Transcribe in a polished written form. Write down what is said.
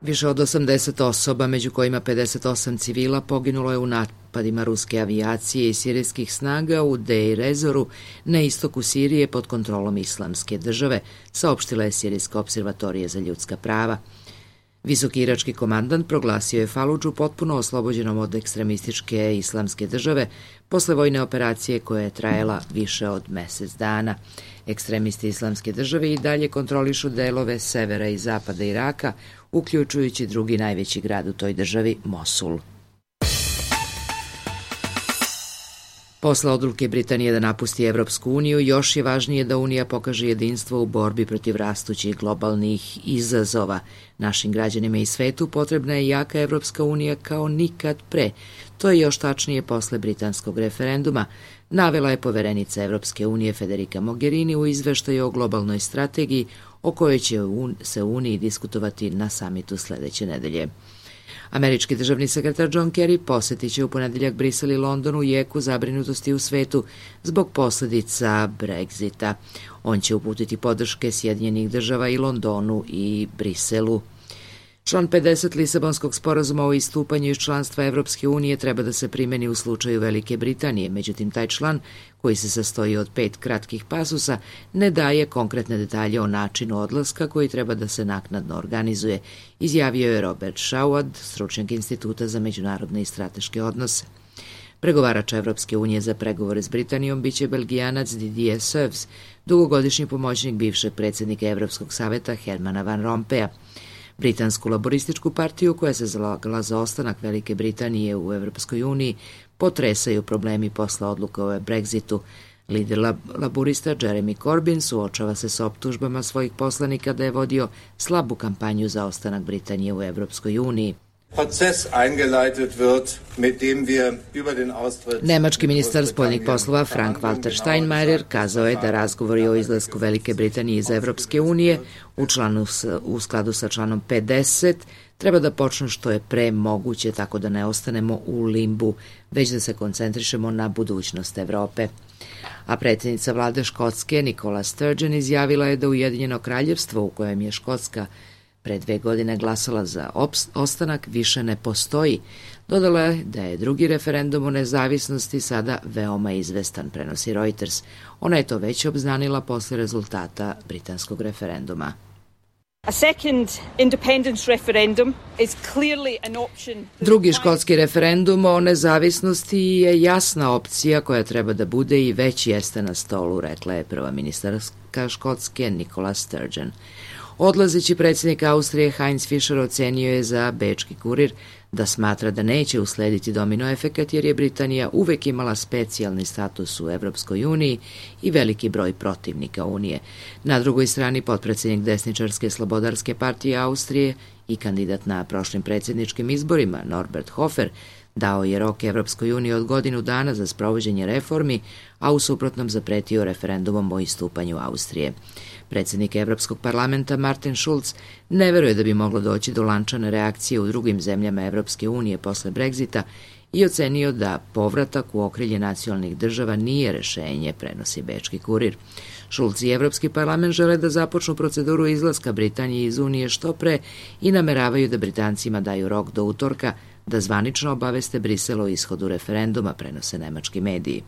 Više od 80 osoba, među kojima 58 civila, poginulo je u napadima ruske avijacije i sirijskih snaga u Deir Ezoru na istoku Sirije pod kontrolom Islamske države, saopštila je Sirijska observatorija za ljudska prava. Visoki irački komandant proglasio je Faludžu potpuno oslobođenom od ekstremističke Islamske države posle vojne operacije koja je trajala više od mesec dana. Ekstremisti Islamske države i dalje kontrolišu delove severa i zapada Iraka, uključujući drugi najveći grad u toj državi, Mosul. Posle odluke Britanije da napusti Evropsku uniju, još je važnije da Unija pokaže jedinstvo u borbi protiv rastućih globalnih izazova. Našim građanima i svetu potrebna je jaka Evropska unija kao nikad pre. To je još tačnije posle britanskog referenduma, navela je poverenica Evropske unije Federica Mogherini u izveštaju o globalnoj strategiji o kojoj će se u Uniji diskutovati na samitu sledeće nedelje. Američki državni sekretar John Kerry posetit će u ponedeljak Brisel i London u jeku zabrinutosti u svetu zbog posledica Brexita. On će uputiti podrške Sjedinjenih država i Londonu i Briselu. Član 50 Lisabonskog sporazuma o istupanju iz članstva Evropske unije treba da se primeni u slučaju Velike Britanije, međutim taj član, koji se sastoji od 5 kratkih pasusa, ne daje konkretne detalje o načinu odlaska koji treba da se naknadno organizuje, izjavio je Robert Shawad, stručnjak Instituta za međunarodne i strateške odnose. Pregovarač Evropske unije za pregovore s Britanijom biće Belgijanac Didier Seuss, dugogodišnji pomoćnik bivšeg predsjednika Evropskog saveta Hermana Van Rompuya. Britansku laborističku partiju, koja se zalagala za ostanak Velike Britanije u Evropskoj uniji, potresaju problemi posle odluka o Brexitu. Lider laborista Jeremy Corbyn suočava se s optužbama svojih poslanika da je vodio slabu kampanju za ostanak Britanije u Evropskoj uniji. Nemački ministar spoljnih poslova Frank-Walter Steinmeier kazao je da razgovori o izlasku Velike Britanije iz Evropske unije u skladu sa članom 50 treba da počnu što je pre moguće, tako da ne ostanemo u limbu, već da se koncentrišemo na budućnost Evrope. A predsjednica vlade Škotske Nicola Sturgeon izjavila je da Ujedinjeno kraljevstvo, u kojem je Škotska pre 2 godine glasala za ostanak, više ne postoji. Dodala je da je drugi referendum o nezavisnosti sada veoma izvestan, prenosi Reuters. Ona je to već obznanila posle rezultata britanskog referenduma. Drugi škotski referendum o nezavisnosti je jasna opcija koja treba da bude i već jeste na stolu, rekla je prva ministarka Škotske Nicola Sturgeon. Odlazeći predsjednik Austrije Heinz Fischer ocenio je za Bečki kurir da smatra da neće uslediti domino efekat jer je Britanija uvek imala specijalni status u Evropskoj uniji i veliki broj protivnika Unije. Na drugoj strani potpredsjednik desničarske slobodarske partije Austrije i kandidat na prošlim predsjedničkim izborima Norbert Hofer dao je rok Evropskoj uniji od godinu dana za sprovođenje reformi, a u suprotnom zapretio referendumom o istupanju Austrije. Predsjednik Evropskog parlamenta Martin Schulz ne veruje da bi moglo doći do lančane reakcije u drugim zemljama Evropske unije posle Brexita i ocenio da povratak u okrilje nacionalnih država nije rešenje, prenosi Bečki kurir. Schulz i Evropski parlament žele da započnu proceduru izlaska Britanije iz Unije što pre i nameravaju da Britancima daju rok do utorka da zvanično obaveste Brisel o ishodu referenduma, prenose nemački mediji.